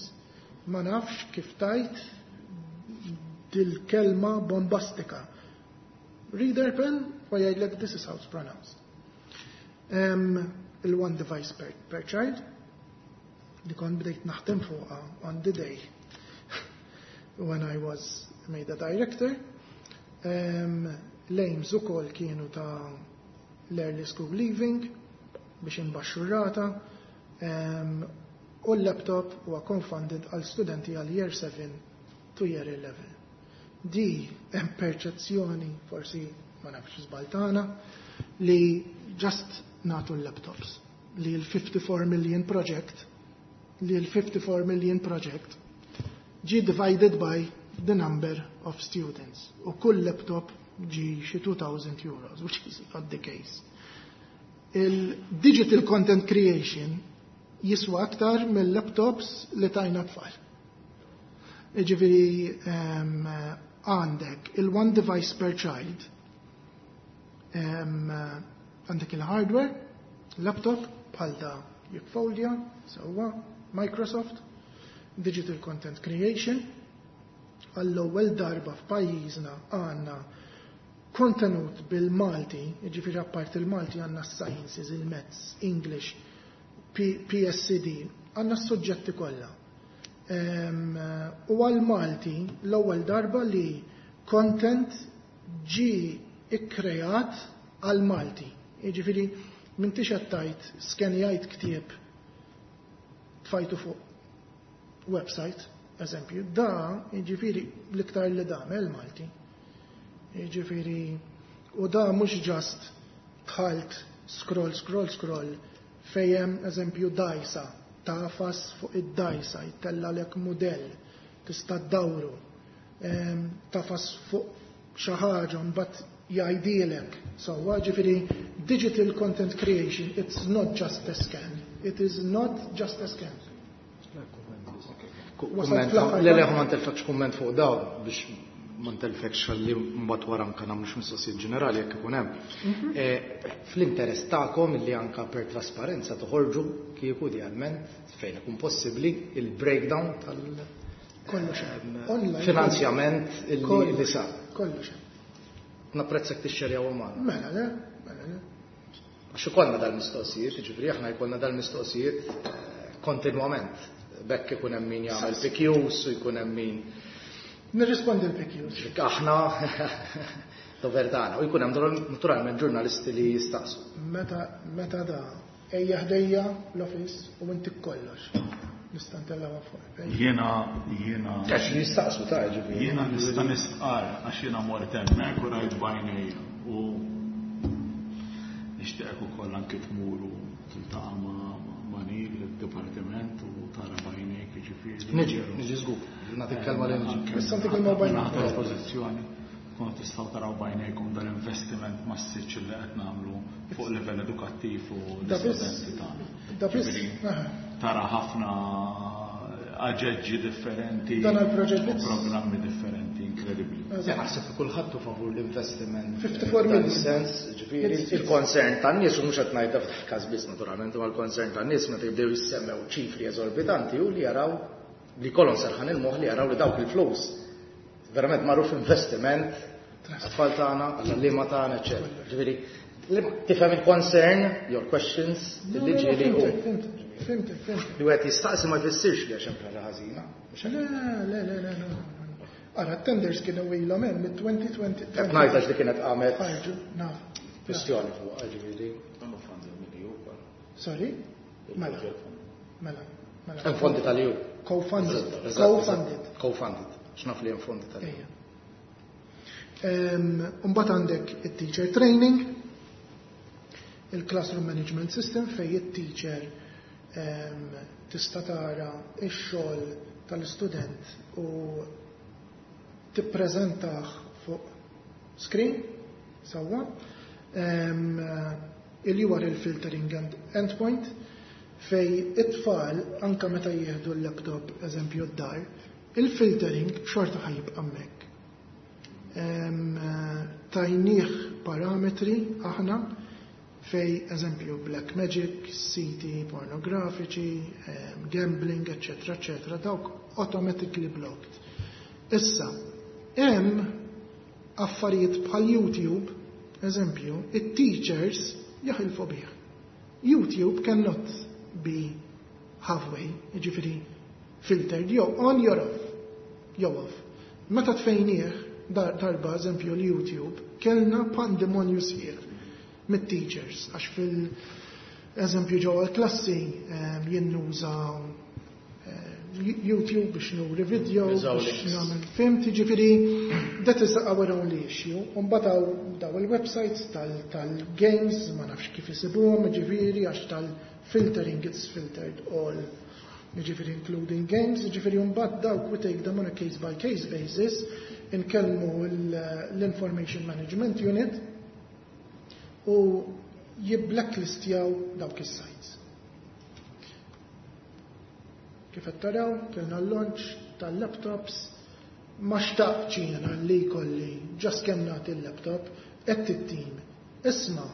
Ma nafx kif tgħid dil-kelma bombastika. Reader pen u jgħidlek, "This is how it's pronounced." Il-one device per child li kont bdejt naħdem fuqha on the day when I was made a director. L-aims ukoll kienu ta' l-early school leaving biex inbaxxu rata u l-laptop huwa co-funded għal studenti għal year 7 to year 11. Di hemm perċezzjoni, forsi ma nafx żbaltana, li just nagħtu l-laptops, li l-54 million project li l-54 million project ġi divided by the number of students u kull laptop ġi xi 2000 euros, which is not the case. Il-digital content creation jiswa aktar mill-laptops li tajna tfal. Ġifieri għandek il-one device per child, għandek il-hardware, laptop bħal da jikfoldja, sewwa, Microsoft, digital content creation, għall-ewwel darba f'pajjiżna għandna kontenut bil-Malti, ġifieri apart il-Malti għandna sciences, il-Maths, English, PSCD, għandna s-suġġetti kollha. U għal-Malti l-ewwel darba li content ġi ikkreat għal-Malti. Jiġifieri m'intix qed tgħid skenjajt ktieb, tfajtu fuq website, eżempju, da jiġifieri l-iktar li damel Malti. Jiġifieri u da mhux just dħalt scroll, scroll, scroll, fejn eżempju dajsa, tagħfas fuq id-dajsa, jtellagħlek modell, tista' ddawru, tagħfas fuq xi ħaġa mbagħad jgħidilek. So, ġifieri digital content creation, it's not just a scan. It is not just a scan. Le, le, ma ntellfekx kumment fuq daw biex Ma ntellfekx ħalli mbagħad wara anke nagħmlu xi mistoqsijiet ġenerali jekk ikun hemm. Fl-interess tagħkom illi anke per trasparenza toħorġu kieku idealment fejn ikun possibbli il-breakdown tal Kollox hemm. Online. Finanzjament illi sar. Kollox hemm. Napprezzak tixxerjaw magħna. Mela le, mela le. Għax ikollna dal-mistoqsijiet, jiġifieri aħna jkollna dal-mistoqsijiet kontinwament. Bekk ikun hemm min jagħmel PQs u jkun hemm min Nirrispondi l-PQs. Aħna dover tagħna u jkun hemm naturalment ġurnalisti li jistaqsu. Meta da ejja ħdejja l-office u inti kollox. Nista' ntellgħu fuq. Jiena Għax jistaqsu ta' ġifieri. Jiena nista' nistqar għax jiena mort hemmhekk u rajt b'għajnejja u nixtieqek ukoll anke tmur u tiltaqa' ma' Neil id-dipartiment u tara b'għajnejk jiġifieri. Niġi, niġi żgur. Nagħtik kelma li niġi. Issa ntik il-mobile. Nagħti espożizzjoni. Kunu tistgħu taraw b'għajnejkom dal-investiment massiċ li qed nagħmlu fuq livell edukattiv u l-istudenti tagħna. Da biss, Ġifieri, aha. tara ħafna aġeġġi differenti Dan għal-proġett u biss. programmi differenti inkredibbli. Ja, naħseb li kulħadd hu favur l-investiment. 54 Dan million. is-sens, ġifieri, il-concern tan-nies, u mhux qed ngħidha f'każ biss naturalment, imma l-concern tan-nies meta jibdew jissemmew ċifri eżorbitanti u li jaraw li jkollhom serħan il-moħħ li jaraw li dawk il-flus verament marru f'investiment għat-tfal tagħna, għall-għalliema tagħna, eċċetera. Ġifieri, tifhem il-concern, your questions, li ġieli u Fimtek, fimtek, fimtek. li wieħed jistaqsi ma jfissirx li għax hemm ħaġa ħażina. Le, le, le, le, le. Ara, tenders kienu ilhom hemm mit-2020. Qed ngħid għax li kienet qamet Ħarġu, naf. kwistjoni fuq, ġifieri. Sorry? Mela, mela, mela. Hemm fondi tal-EU. Co-funded. Eżatt, eżatt. Co-funded. Co-funded. X'naf li hemm fondi tal-EU. Ejja. Mbagħad għandek it-teacher training, il-classroom management system fej it-teacher tista' tara x-xogħol tal-istudent u tippreżentah fuq screen sewwa. Il-URL filtering and endpoint fej it-tfal anka meta jieħdu l-laptop eżempju d-dar, il-filtering xorta ħa jibqa' hemmhekk. Tajnieh parametri aħna fej eżempju black magic, siti pornografiċi, gambling, eccetera, eccetera, dawk automatically blocked. Issa, hemm affarijiet bħal YouTube, eżempju, it-teachers jaħilfu bih. YouTube cannot be halfway, jiġifieri filtered, jew on jew off, jew off. Meta tfejnieh darba, eżempju, l-YouTube, kellna pandemonju sħiħ mit-teachers, għax fil-eżempju ġewwa l-klassi jinnuża YouTube biex nuri video, Jużaw biex links. nagħmel film, jiġifieri, that is our only issue. U mbagħad hawn daw il-websites tal-games, ma nafx kif isibuhom, jiġifieri, għax tal-filtering, it's filtered all, jiġifieri including games, jiġifieri mbagħad dawk we take them on a case by case basis, inkellmu l-Information Management Unit u jibblacklistjaw dawk is-sites. Kif qed taraw, kellna l-launch tal-laptops, ma xtaqtx jiena li jkolli just kemm nagħti l-laptop, qed it-team. Isma'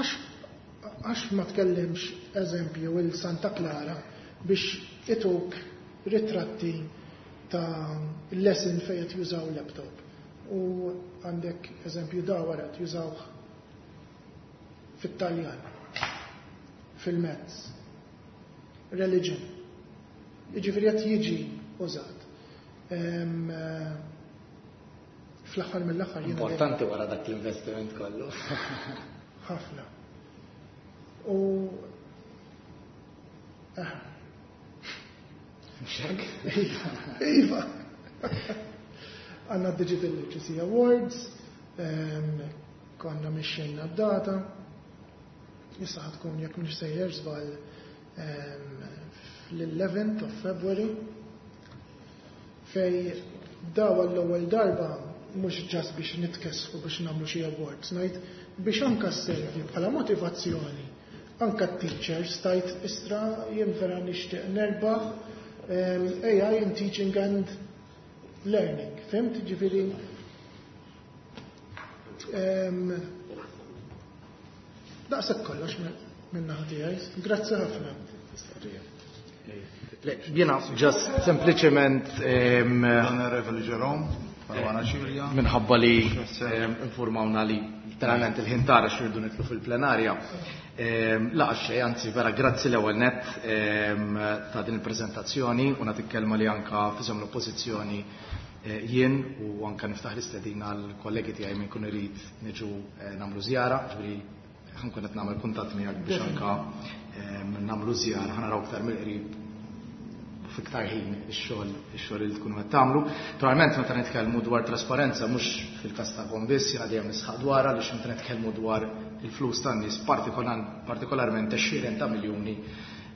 għax ma tkellimx eżempju il Santa Clara biex ituk ritratti ta' lesson fejn qed jużaw laptop. U għandek eżempju da wara qed jużawh fit-Taljan, fil-mezz, religion. Jiġifieri qed jiġi użat. Fl-aħħar mill-aħħar jiena Importanti wara dak l-investiment kollu. ħafna. U Mxek? Iva. Għanna Digital Literacy Awards, konna mixxejna d-data, issa ħa tkun jekk mhux sejjer żball fl-11th of February, fej daw għall-ewwel darba mhux just biex nitkessfu biex nagħmlu xi awards, ngħid biex anka sservi bħala motivazzjoni. Anka t-teachers tajt istra jien vera nixtieq nerbaħ AI in teaching and learning. Fhimt, ġifieri daqshekk kollox min-naħa tiegħi. Grazzi ħafna. Jiena just sempliċement Onorevoli Jerome, Caruana Cilia. Minħabba li informawna li literalment il-ħin tara x'irridu nidħlu fil-plenarja. Laqa xejn, anzi vera grazzi l-ewwel nett ta' din il-preżentazzjoni u nagħtik kelma li anka f'isem l-oppożizzjoni jien u anka niftaħ l-istedina għall-kollegi tiegħi min kun irid niġu nagħmlu żjara, ġifieri ħa nkun qed nagħmel kuntatt miegħek biex anka nagħmlu żjara, ħa naraw iktar mill-qrib fiktar ħin ix-xogħol li tkunu qed tagħmlu. Naturalment meta nitkellmu dwar trasparenza mhux fil-każ tagħkom biss, jiena dejjem nisħaq dwarha għaliex meta nitkellmu dwar il-flus tan-nies partikolarment għexieren ta' miljuni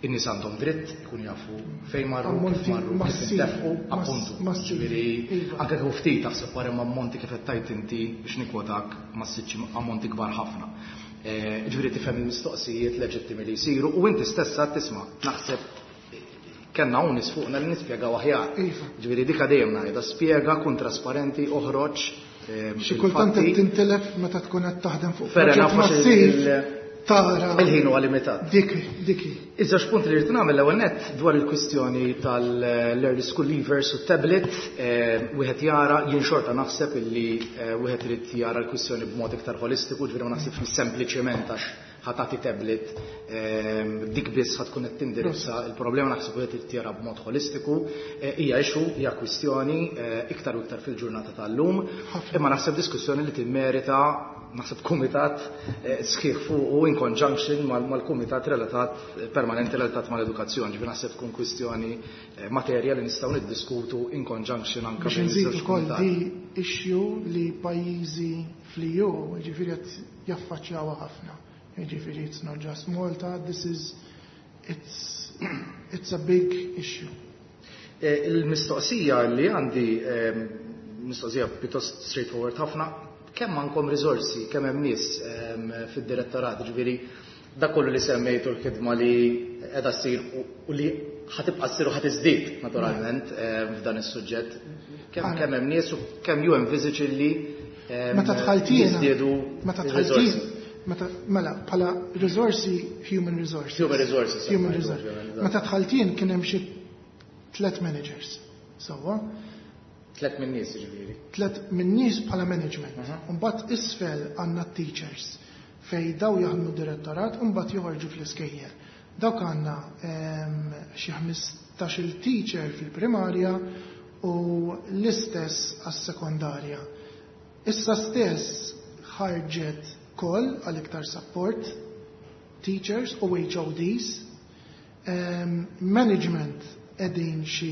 in-nies għandhom dritt ikun jafu fejn marru, kif marru, kif intefqu, appuntu. Ġifieri anke kieku ftit taħseb wara hemm ammonti kif qed tgħid inti biex nikkwotak massiċċi ammonti kbar ħafna. Ġifieri tifhem il-mistoqsijiet leġittimi li jsiru u inti stess għad tisma' naħseb kellna hawn nies fuqna li nispjegaw aħjar. Ġifieri dika dejjem ngħidha, spjega, kun trasparenti, oħroġ. Xi kultant qed tintilef meta tkun qed taħdem fuq proġett massiv. Tara. Il-ħin huwa limitat. Dik, diki. Iż-żewġ punti li rrid nagħmel l-ewwel nett dwar il-kwistjoni tal-early school leavers u tablet, wieħed jara, jien xorta naħseb illi wieħed irid jara l-kwistjoni b'mod iktar holistiku, ġifieri ma naħsibx li sempliċement għax ħa tagħti tablet dik biss ħa tkun qed tindirizza il-problema, naħseb wieħed irid jara b'mod holistiku. Hija issue, hija kwistjoni iktar u iktar fil-ġurnata tal-lum, imma naħseb diskussjoni li timmerita naħseb kumitat sħiħ fuq u in conjunction mal-kumitat relatat permanenti relatat mal-edukazzjoni. Ġifieri naħseb tkun kwistjoni materja li nistgħu niddiskutu in conjunction anke biex nżid ukoll di issue li pajjiżi fl-EU ġifieri qed jaffaċċjawha ħafna. Ġifieri it's not just Malta, this is it's a big issue. Il-mistoqsija li għandi, mistoqsija pjuttost straightforward ħafna, kemm għandkom riżorsi, kemm hemm nies fid-direttorat, ġifieri dak kollu li semmejtu l-ħidma li qiegħda ssir u li ħa tibqa' ssir u ħa tiżdied naturalment f'dan is-suġġett. Kemm hemm nies u kemm you envisage li Meta dħalt jiena, jiżdiedu meta dħalt riżorsi? jien, meta, mela, bħala riżorsi, human resources. Human resources, Human ovvjament, resources. ovvjament. Meta dħalt jien kien hemm xi 3 managers. Sewwa? 3 minn nies, ġifieri. 3 minn nies bħala management. Mbagħad isfel għandna teachers fej daw jaħdmu direttorat u mbagħad joħorġu fl-iskejjel. Dawk għandna xi 15-il teacher fil-primarja u l-istess għas-sekondarja. Issa stess ħarġet call għal iktar support, teachers u H O Ds. Management qegħdin xi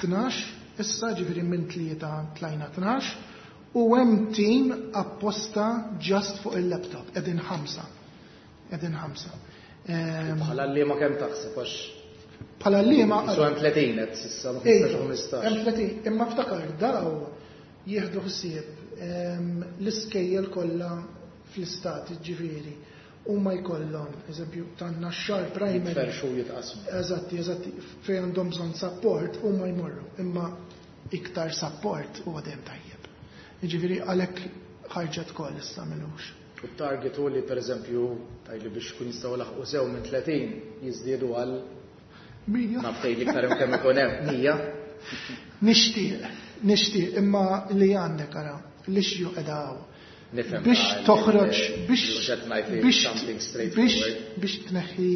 12, issa ġifieri minn 3 tlajna 12, u hemm team apposta just fuq il-laptop, qegħdin 5. Qegħdin 5. Bħala li ma kemm taħseb għax Bħala li ma Isu hemm 30 qed s'issa, ma Ej, 15 u 15. Hemm 30, imma ftakar daw jieħdu ħsieb l-iskejjel kollha fl-istat, ġifieri, u ma jkollhom, eżempju, tan-Naxxar primary. Jitferxu jitqasmu. Eżatti, eżatti, fejn għandhom bżonn support u ma jmorru, imma iktar support huwa dejjem tajjeb. Jiġifieri għalhekk ħarġet koll issa milux. U t-target hu li pereżempju tajli biex kun jistgħu laħqu sew minn 30 jiżdiedu għal 100. Naf tgħid iktar hemm kemm ikun hemm 100. Nixtieq, nixtieq, imma li għandek ara, l-issue qiegħda hawn. Nifhem Biex toħroġ, mhux qed ngħid li something straightforward. biex tneħħi,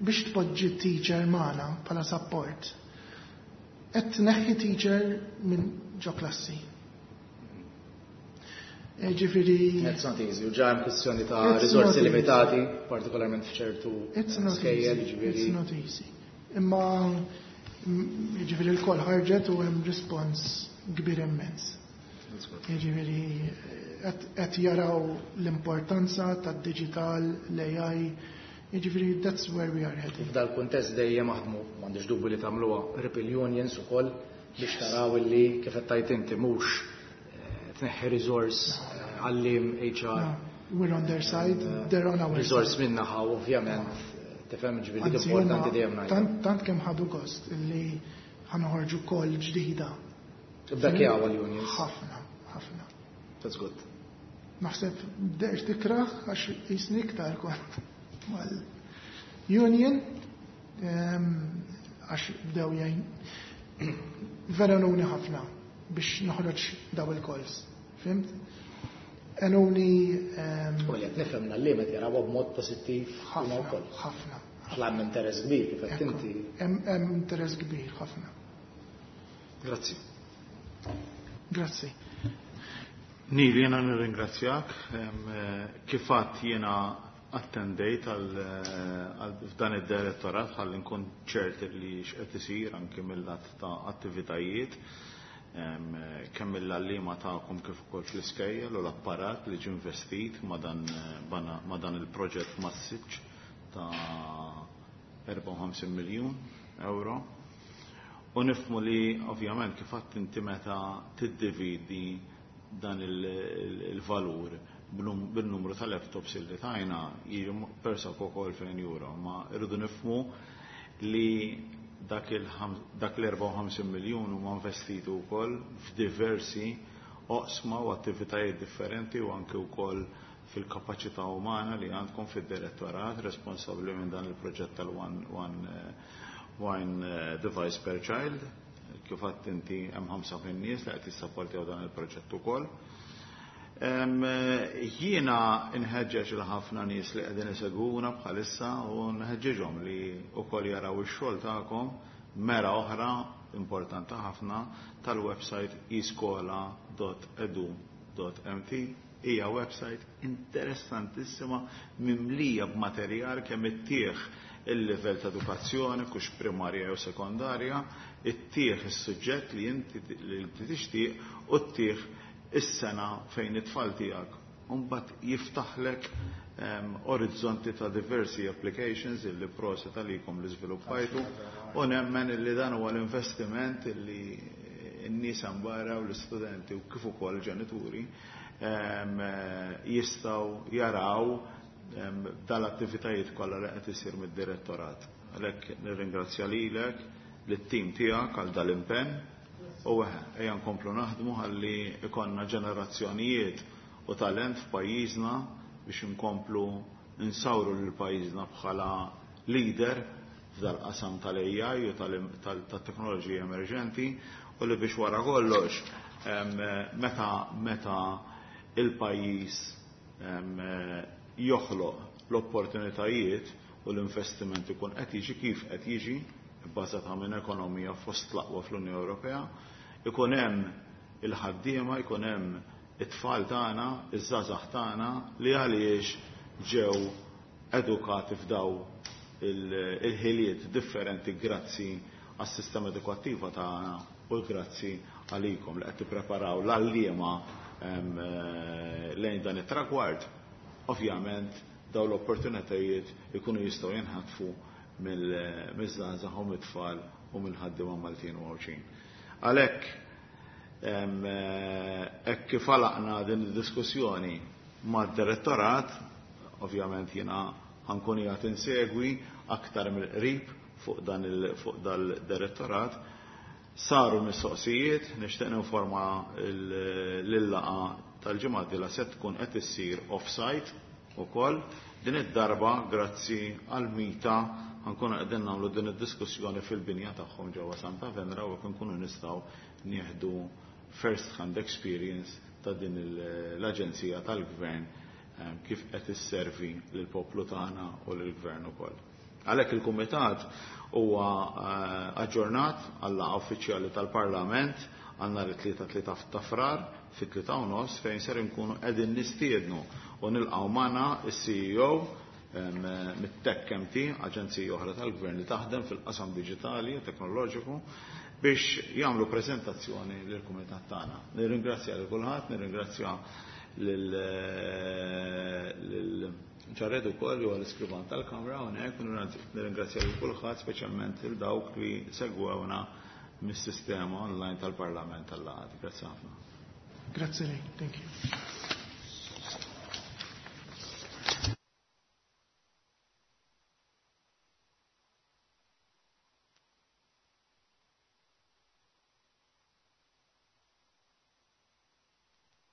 biex tpoġġi teacher magħna bħala support. Qed tneħħi teacher minn ġo klassi. Ġifieri It's not easy, u ġa hemm kwistjoni ta' It's riżorsi not easy. limitati, partikolarment f'ċertu It's not skejjel, easy. ġifieri. It's not easy. Imma ġifieri l-koll ħarġet u hemm respons kbir immens. Ġifieri qed jaraw l-importanza tad-digital, l-AI, ġifieri that's where we are heading. F'dal kuntest dejjem aħdmu, m'għandix dubju li tagħmluha Ripple Unions ukoll biex taraw illi kif qed tgħid inti mhux tneħħi resource għallim HR. No, we're on their side, they're on our Resource side. minnaħa, ovvjament, tifhem ġifieri dik Anzi, importanti huma dejjem ngħid. tant kemm ħadu gost illi ħanoħorġu call ġdida Bekjaw għal-unions. Ħafna, ħafna. That's good. Naħseb bdejt tikraħ għax jisni iktar kont mal-union għax bdew jgħin vera nuni ħafna biex noħroġ daw il-calls. Fhimt? Għenuni U li qed nifhem l-għalliema jaraw b'mod pożittiv huma ħafna, wkoll. ħafna. Għax hemm interess kbir kif qed Ekku, inti. Hemm interess kbir ħafna. Grazzi. Grazzi. Neil, jena nirringrazzjak. Kif għedt, jena attendejt għal f'dan id-direttorat ħalli nkun ċert li x'qed isir anki mill-lat ta' attivitajiet kemm mill-għalliema tagħkom kif ukoll fl-iskejjel u l-apparat li ġie investit ma' dan il-proġett massiċ ta' 54 miljun euro. U nifhmu li ovvjament kif għedt inti meta tiddividi dan il-valur bil-numru ta' laptops illi tajna jiġi persa ukoll fejn euro, ma irridu nifhmu li dak l-54 miljun huma investiti wkoll f'diversi oqsma u attivitajiet differenti u anke wkoll fil-kapaċità umana li għandkom fid-direttorat responsabbli minn dan il-proġett tal-one one device per child. Kif għedt inti, hemm 5 min-nies li qed jissapportjaw dan il-proġett ukoll. Jiena nħeġġeġ lil ħafna nies li qegħdin isegwuna bħalissa u nħeġġeġhom li wkoll jaraw ix-xogħol tagħkom mera oħra importanti ħafna tal-website eskola.edu.mt. Hija website interessantissima mimlija b'materjal kemm ittih il-livell ta' edukazzjoni, kux primarja jew sekondarja, ittih is-suġġett li inti tixtieq u ttih is-sena fejn it-tfal tiegħek. Mbagħad jiftaħlek orizzonti ta' diversi applications illi proset għalikom li żviluppajtu u nemmen illi dan huwa l-investiment illi n-nies barra u l-istudenti u kif ukoll ġenituri jistgħu jaraw dal-attivitajiet kollha li qed isir mid-direttorat. Għalhekk nirringrazzja lilek, lit-tim tiegħek għal dal-impenn u ejja nkomplu naħdmu ħalli ikollna ġenerazzjonijiet u talent f'pajjiżna biex inkomplu insawru lil pajjiżna bħala leader f'dal-qasam tal-AI u tal-teknoloġija emerġenti u li biex wara kollox meta il-pajjiż joħloq l-opportunitajiet u l-investiment ikun qed jiġi kif qed jiġi bbażata minn ekonomija fost l-aqwa fl-Unjoni Ewropea, ikun hemm il-ħaddiema, ikun hemm it-tfal tagħna, iż-żgħażagħ tagħna li għaliex ġew edukati f'daw il-ħiliet differenti grazzi għas-sistema edukattiva tagħna u grazzi għalikom li qed tippreparaw l-għalliema lejn dan it-tragward. Ovvjament daw l-opportunitajiet ikunu jistgħu jinħatfu mill-żgħażagħ u mit-tfal u mill-ħaddiema Maltin u Għawdxin. Għalhekk hekk kif għalaqna din id-diskussjoni mad-direttorat, ovvjament jiena ħa nkun qiegħed insegwi aktar mill-qrib fuq dal-direttorat. Saru mistoqsijiet, nixtieq ninforma l-laqgħa tal-ġimgħa la se tkun qed issir off-site ukoll. Din id-darba grazzi għal MITA ħa nkunu qegħdin nagħmlu din id-diskussjoni fil-binja tagħhom ġewwa Santa Venera u nkunu nistgħu nieħdu first hand experience ta' din l-aġenzija tal-gvern kif qed isservi lill-poplu tagħna u lill-gvern ukoll. Għalhekk il-kumitat huwa aġġornat għal uffiċjali tal-Parlament għal nhar it-Tlieta 3 ta' Frar fit-3:30 fejn ser inkunu qegħdin nistiednu u nilqgħu magħna is-CEO mit-Tech MT, aġenzija oħra tal-gvern li taħdem fil-qasam diġitali u teknoloġiku, biex jagħmlu preżentazzjoni lill-kumitat tagħna. Nirringrazzja lil kulħadd, nirringrazzja lil Jared ukoll li huwa l-iskrivan tal-Kamra hawnhekk, nirringrazzja lil kulħadd, speċjalment lil dawk li segwewna mis-sistema online tal-Parlament tal-laqgħat. Grazzi ħafna. Grazzi lei, thank you.